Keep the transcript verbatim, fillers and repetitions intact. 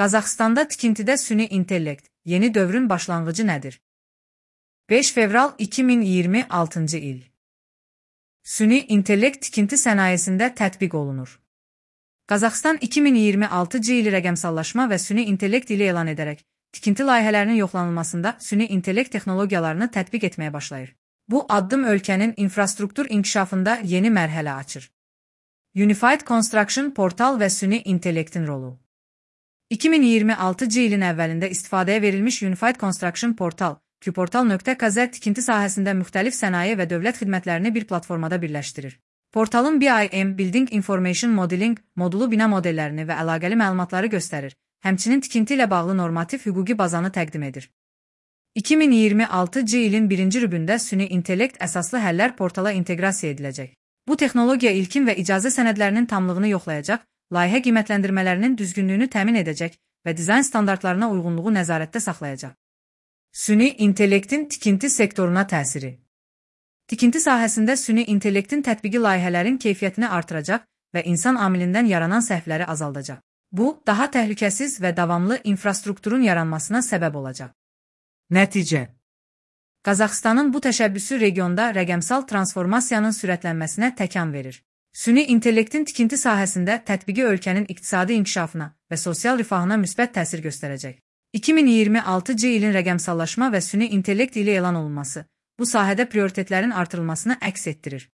Qazaxstanda tikintidə süni intellekt, yeni dövrün başlanğıcı nədir? beş fevral iki min iyirmi altıncı il. Süni intellekt tikinti sənayesində tətbiq olunur. Qazaxstan iki min iyirmi altıncı ili rəqəmsallaşma və süni intellekt ili elan edərək, tikinti layihələrinin yoxlanılmasında süni intellekt texnologiyalarını tətbiq etməyə başlayır. Bu addım ölkənin infrastruktur inkişafında yeni mərhələ açır. Unified Construction Portal və süni intellektin rolu. iki min iyirmi altıncı ilin əvvəlində istifadəyə verilmiş Unified Construction Portal, qportal nöqtə kz tikinti sahəsində müxtəlif sənaye və dövlət xidmətlərini bir platformada birləşdirir. Portalın B I M Building Information Modeling modulu bina modellərini və əlaqəli məlumatları göstərir, həmçinin tikinti ilə bağlı normativ hüquqi bazanı təqdim edir. iki min iyirmi altıncı ilin birinci rübündə süni intellekt əsaslı həllər portala inteqrasiya ediləcək. Bu texnologiya ilkin və icazə sənədlərinin tamlığını yoxlayacaq, layihə qiymətləndirmələrinin düzgünlüyünü təmin edəcək və dizayn standartlarına uyğunluğu nəzarətdə saxlayacaq. Süni intellektin tikinti sektoruna təsiri. Tikinti sahəsində süni intellektin tətbiqi layihələrin keyfiyyətini artıracaq və insan amilindən yaranan səhvləri azaldacaq. Bu, daha təhlükəsiz və davamlı infrastrukturun yaranmasına səbəb olacaq. Nəticə. Qazaxstanın bu təşəbbüsü regionda rəqəmsal transformasiyanın sürətlənməsinə təkan verir. Süni intellektin tikinti sahəsində tətbiqi ölkənin iqtisadi inkişafına və sosial rifahına müsbət təsir göstərəcək. iki min iyirmi altıncı ilin rəqəmsallaşma və süni intellekt ili elan olunması, bu sahədə prioritetlərin artırılmasını əks etdirir.